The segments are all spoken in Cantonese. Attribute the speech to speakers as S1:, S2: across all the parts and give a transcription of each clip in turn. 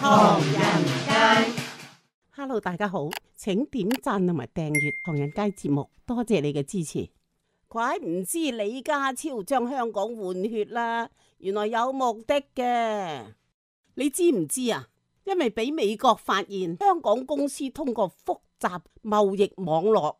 S1: 唐人街
S2: ，Hello， 大家好，請點讚同埋訂閱唐人街節目，多謝你嘅支持。怪唔知李家超將香港換血啦，原來有目的嘅。你知唔知啊？因為俾美國發現香港公司通過複雜貿易網絡，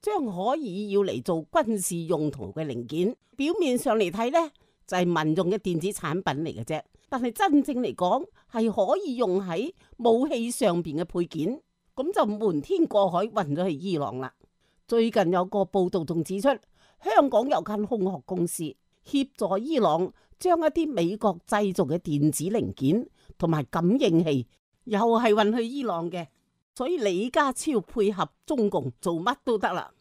S2: 將可以要嚟做軍事用途嘅零件。表面上嚟睇呢，就係民用嘅電子產品嚟嘅啫，但係真正嚟講係可以用喺武器上邊嘅配件，咁就瞞天過海運咗去伊朗啦。最近有個報道仲指出，香港有間空殼公司協助伊朗將一啲美國製造嘅電子零件同埋感應器，又係運去伊朗嘅。所以李家超配合中共做乜都得啦，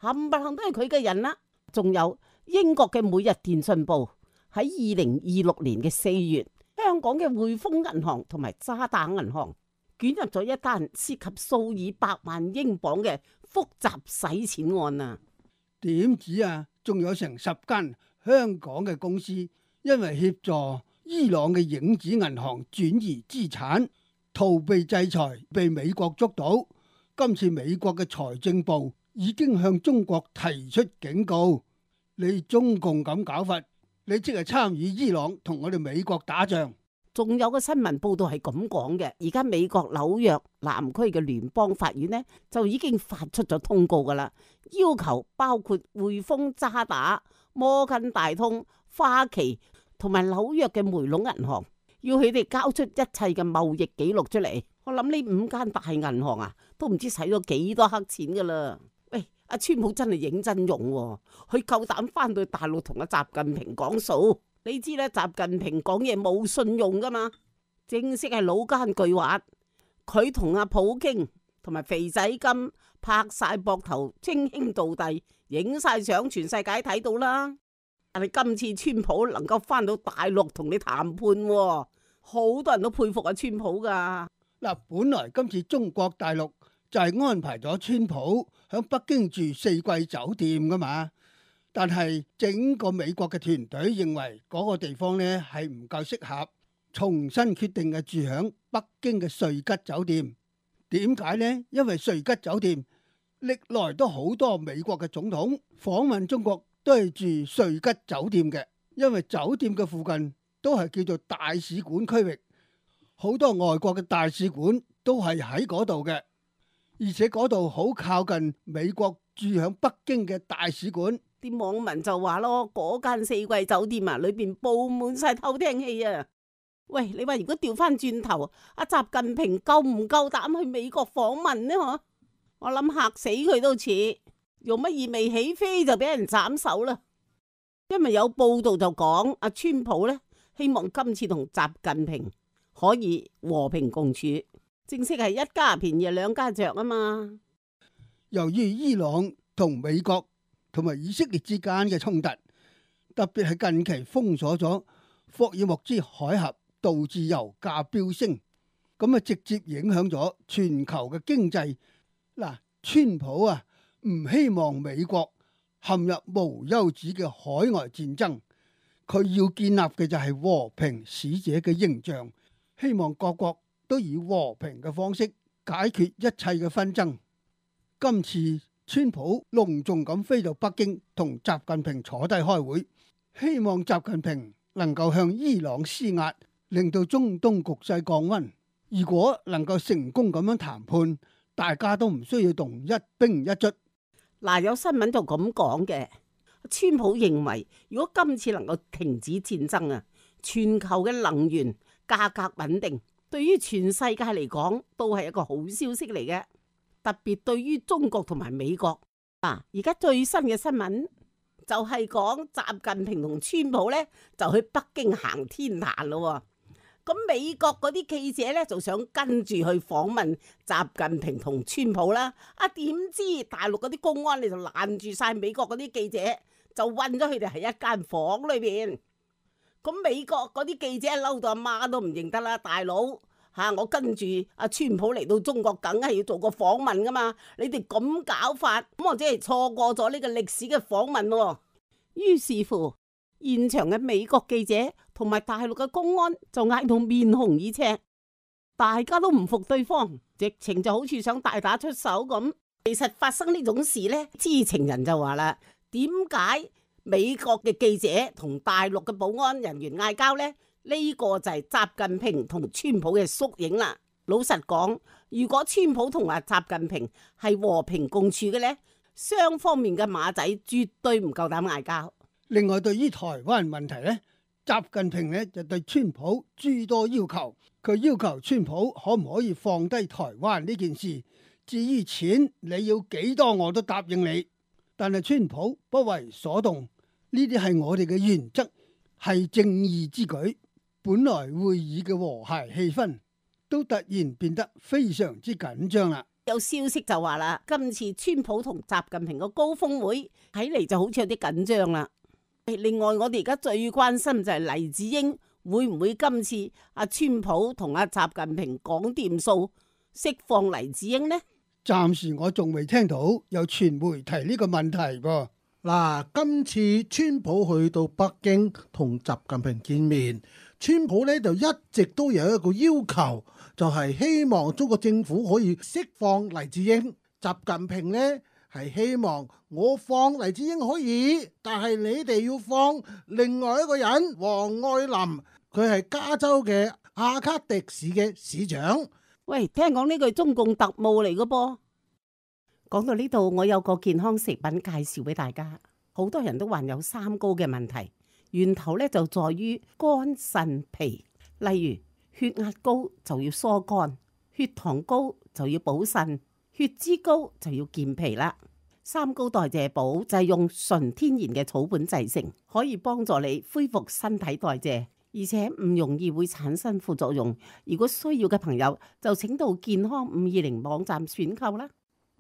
S2: 冚唪唥都係佢嘅人啦。仲有英國嘅每日電訊報喺2026年嘅4月，香港嘅匯豐銀行同埋渣打銀行捲入咗一單涉及數以百萬英鎊嘅複雜洗錢案啊！
S3: 點止啊？仲有成10間香港嘅公司，因為協助伊朗嘅影子銀行轉移資產，逃避制裁，被美國捉到。今次美國嘅財政部已經向中國提出警告：你中共咁搞法，你即係參與伊朗同我哋美國打仗。
S2: 仲有個新聞報道係咁講嘅，而家美國紐約南區嘅聯邦法院呢，就已經發出咗通告噶啦，要求包括匯豐、渣打、摩根大通、花旗同埋紐約嘅梅隆銀行，要佢哋交出一切嘅貿易記錄出嚟。我諗呢5間大銀行啊，都唔知使咗幾多黑錢噶啦。喂，阿川普真係認真用喎，佢夠膽翻到大陸同阿習近平講數。你知咧，習近平講嘢冇信用噶嘛，正式係老奸巨猾。佢同阿普京同埋肥仔金拍晒膊頭，稱兄道弟，影晒相，全世界睇到啦。但係今次川普能夠翻到大陸同你談判，好多人都佩服阿川普噶。
S3: 嗱，本來今次中國大陸就係安排咗川普響北京住4季酒店噶嘛。但係整個美國嘅團隊認為嗰個地方呢係唔夠適合，重新決定嘅住響北京嘅瑞吉酒店。點解呢？因為瑞吉酒店歷來都好多美國嘅總統訪問中國都係住瑞吉酒店嘅，因為酒店嘅附近都係叫做大使館區域，好多外國嘅大使館都係喺嗰度嘅，而且嗰度好靠近美國住響北京嘅大使館。
S2: 啲網民就話咯，嗰間4季酒店啊，裏邊佈滿晒偷聽器啊！喂，你話如果調翻轉頭，阿習近平夠唔夠膽去美國訪問呢？嗬，我諗嚇死佢都似，用乜意未起飛就俾人斬手啦。因為有報道就講阿川普呢，希望今次同習近平可以和平共處，正式係一家便宜兩家着啊嘛。
S3: 由於伊朗同美國同埋以色列之間嘅衝突，特別係近期封鎖咗霍爾木茲海峽，導致油價飆升，咁啊直接影響咗全球嘅經濟。嗱，川普啊唔希望美國陷入無休止嘅海外戰爭，佢要建立嘅就係和平使者嘅形象，希望各國都以和平嘅方式解決一切嘅紛爭。今次川普隆重咁飛到北京同習近平坐低開會，希望習近平能夠向伊朗施壓，令到中東局勢降溫。如果能夠成功咁樣談判，大家都唔需要動一兵一卒。
S2: 嗱，有新聞就咁講嘅，川普認為如果今次能夠停止戰爭啊，全球嘅能源價格穩定，對於全世界嚟講都係一個好消息嚟嘅。特別對於中國同埋美國啊，而家最新嘅新聞就係講習近平同川普呢就去北京行天壇咯。咁美國嗰啲記者呢就想跟住去訪問習近平同川普啦。啊，點知大陸嗰啲公安你就攔住晒美國嗰啲記者，就韞咗佢哋喺一間房裏邊。咁美國嗰啲記者嬲到阿媽都唔認得啦，大佬。我跟住阿川普嚟到中國，梗係要做個訪問噶嘛。你哋咁搞法，咁我真係錯過咗呢個歷史嘅訪問喎。於是乎，現場嘅美國記者同埋大陸嘅公安就嗌到面紅耳赤。大家都唔服對方，直情就好似想大打出手咁。其實發生呢種事呢，知情人就話啦，點解美國嘅記者同大陸嘅保安人員嗌交呢？呢個就係習近平同川普嘅縮影啦。老實講，如果川普同阿習近平係和平共處嘅呢，雙方面嘅馬仔絕對唔夠膽嗌交。
S3: 另外，對於台灣問題呢，習近平呢就對川普諸多要求，佢要求川普可唔可以放低台灣呢件事，至於錢你要幾多我都答應你。但係川普不為所動，呢啲係我哋嘅原則，係正義之舉。本來會議嘅和諧氣氛都突然變得非常之緊張啦。
S2: 有消息就話啦，今次川普同習近平個高峰會睇嚟就好似有啲緊張啦。另外，我哋而家最關心就係黎智英會唔會今次阿川普同阿習近平講掂數，釋放黎智英呢？
S3: 暫時我仲未聽到有傳媒提呢個問題噃。
S4: 嗱，今次川普去到北京同習近平見面，川普呢就一直都有一個要求，就係希望中國政府可以釋放黎智英。習近平呢係希望我放黎智英可以，但係你哋要放另外一個人王愛林，佢係加州嘅阿卡迪市嘅市長。
S2: 喂，聽講呢句中共特務嚟嘅噃。講到呢度，我有個健康食品介紹俾大家。好多人都患有三高嘅問題，源頭咧就在於肝腎脾。例如血壓高就要疏肝，血糖高就要補腎，血脂高就要健脾啦。三高代謝寶就係用純天然嘅草本製成，可以幫助你恢復身體代謝，而且唔容易會產生副作用。如果需要嘅朋友就請到健康520網站選購啦。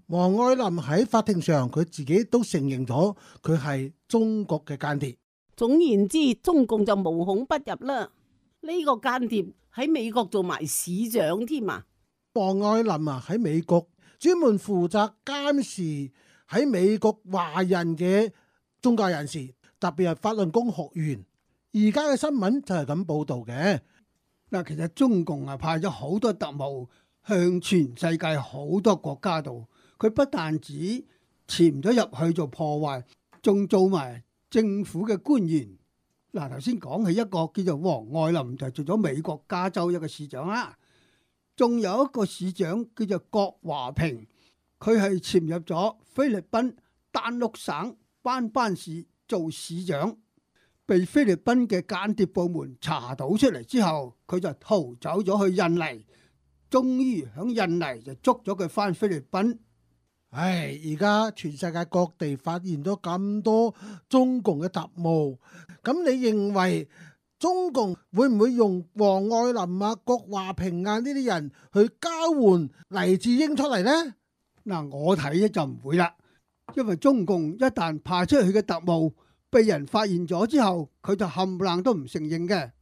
S4: 王愛林喺法庭上，佢自己都承認咗佢係中國嘅間諜。
S2: 總言之，中共就無孔不入啦。呢個間諜喺美國做埋市長添啊！
S4: 王愛林啊，喺美國專門負責監視喺美國華人嘅宗教人士，特別係法輪功學員。而家嘅新聞就係咁報道嘅。
S3: 嗱，其實中共啊派咗好多特務向全世界好多國家度。佢不但止潛咗入去做破壞，仲做埋政府嘅官員。嗱，頭先講起一個叫做王愛林，就做咗美國加州一個市長啦。仲有一個市長叫做郭華平，佢係潛入咗菲律賓丹碌省班班市做市長，被菲律賓嘅間諜部門查到出嚟之後，佢就逃走咗去印尼，終於喺印尼就捉咗佢返菲律賓。
S4: 唉，而家全世界各地發現咗咁多中共嘅特務，咁你認為中共會唔會用王愛林啊、郭華平啊呢啲人去交換黎智英出嚟呢？
S3: 嗱，我睇咧就唔會啦，因為中共一旦派出去嘅特務被人發現咗之後，佢就冚唪唥都唔承認嘅，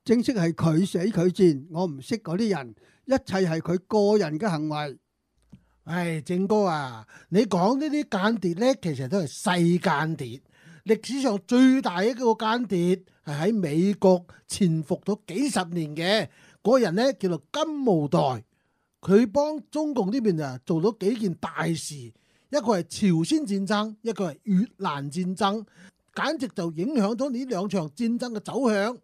S3: 正式係佢死佢戰，我唔識嗰啲人，一切係佢個人嘅行為。
S4: 唉，正哥啊，你講呢啲間諜呢，其實都係細間諜。歷史上最大一個間諜係喺美國潛伏咗幾十年嘅嗰個人呢，叫做金毛代。佢幫中共呢邊啊做咗幾件大事，一個係朝鮮戰爭，一個係越南戰爭，簡直就影響咗呢兩場戰爭嘅走向。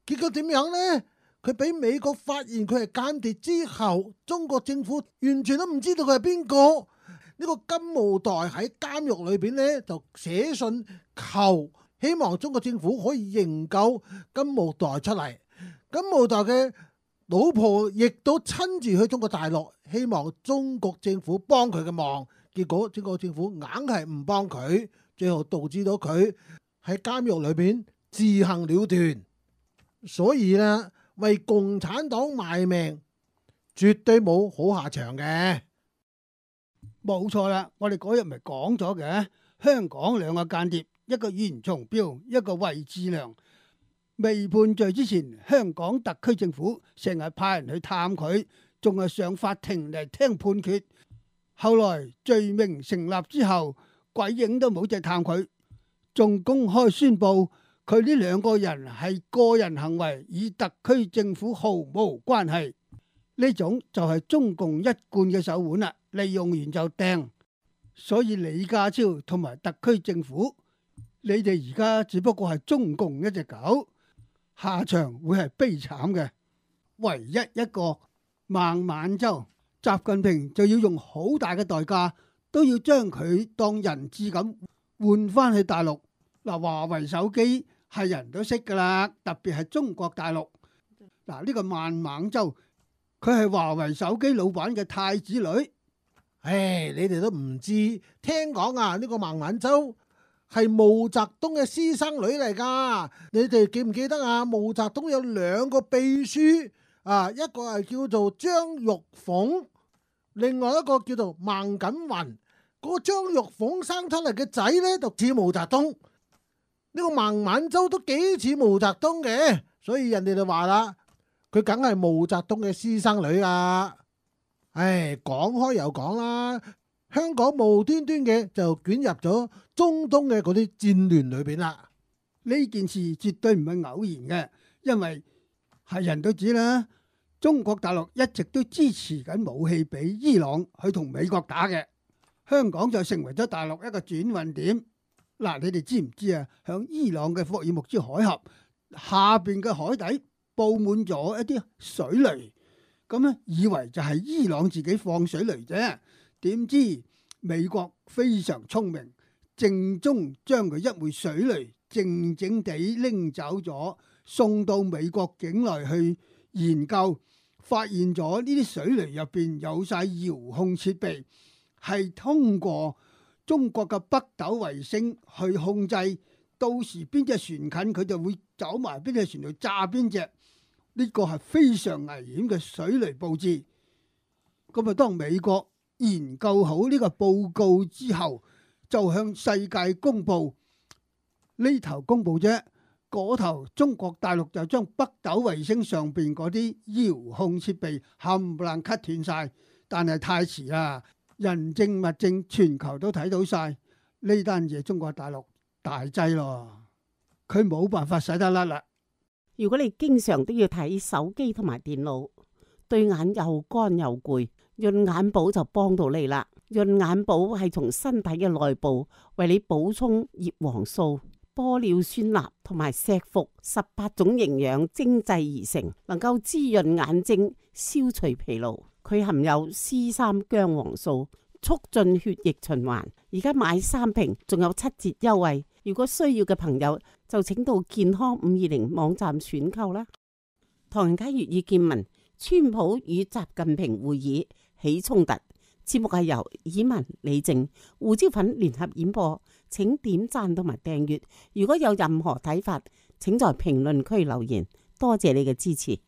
S4: 結果點樣呢？佢俾美國發現佢係間諜之後，中國政府完全都唔知道佢係邊個。呢個金毛代喺監獄裏邊呢，就寫信求，希望中國政府可以營救金毛代出嚟。金毛代嘅老婆亦都親自去中國大陸，希望中國政府幫佢嘅忙。結果中國政府硬係唔幫佢，最後導致到佢喺監獄裏邊自行了斷。所以呢，為共產黨賣命，絕對冇好下場嘅。
S3: 冇錯啦，我哋嗰日咪講咗嘅，香港兩個間諜，一個袁松標，一個魏志良，未判罪之前，香港特區政府成日派人去探佢，仲係上法庭嚟聽判決。後來罪名成立之後，鬼影都冇隻探佢，仲公開宣布佢呢兩個人係個人行為，與特區政府毫無關係。呢種就係中共一貫嘅手腕啦，利用完就掟。所以李家超同埋特區政府，你哋而家只不過係中共一隻狗，下場會係悲慘嘅。唯一一個孟晚舟，習近平就要用好大嘅代價，都要將佢當人質咁換翻去大陸。嗱，華為手機係人都識噶啦，特別係中國大陸。嗱，呢個孟晚舟，佢係華為手機老闆嘅太子女。
S4: 唉，你哋都唔知，聽講啊，呢個孟晚舟係毛澤東嘅私生女嚟噶。你哋記唔記得啊？毛澤東有兩個秘書啊，一個係叫做張玉鳳，另外一個叫做孟錦雲。嗰個張玉鳳生出嚟嘅仔呢，就似毛澤東。呢個孟晚舟都幾似毛澤東嘅，所以人哋就話啦，佢梗係毛澤東嘅私生女啊！唉，講開又講啦，香港無端端嘅就捲入咗中東嘅嗰啲戰亂裏邊啦。
S3: 呢件事絕對唔係偶然嘅，因為係人都知啦，中國大陸一直都支持緊武器俾伊朗去同美國打嘅，香港就成為咗大陸一個轉運點。嗱，你哋知唔知啊？響伊朗嘅霍爾木茲海峽下邊嘅海底布滿咗一啲水雷。咁咧，以為就係伊朗自己放水雷啫，點知美國非常聰明，正宗將佢一枚水雷靜靜地拎走咗，送到美國境內去研究，發現咗呢啲水雷入邊有晒遙控設備，係通過中國嘅北斗衛星去控制，到時邊隻船近佢就會走埋邊隻船度炸邊隻。呢個係非常危險嘅水雷佈置。咁啊，當美國研究好呢個報告之後，就向世界公佈，呢頭公佈啫，嗰頭中國大陸就將北斗衛星上邊嗰啲遙控設備冚唪唥 cut 斷晒，但係太遲啦，人證物證全球都睇到晒，呢單嘢中國大陸大劑咯，佢冇辦法使得甩啦。
S2: 如果你經常都要睇手機同埋電腦，對眼又乾又攰，潤眼寶就幫到你啦。潤眼寶係從身體嘅內部為你補充葉黃素、玻尿酸鈉同埋石斛18種營養精製而成，能夠滋潤眼睛、消除疲勞。佢含有 C3 薑黃素，促進血液循環。而家買3瓶仲有7折優惠，如果需要嘅朋友就請到健康520網站選購啦。唐人街粵語見聞，川普與習近平會議起衝突。節目係由以文、李靜、胡椒粉聯合演播，請點讚同埋訂閱。如果有任何睇法，請在評論區留言。多謝你嘅支持。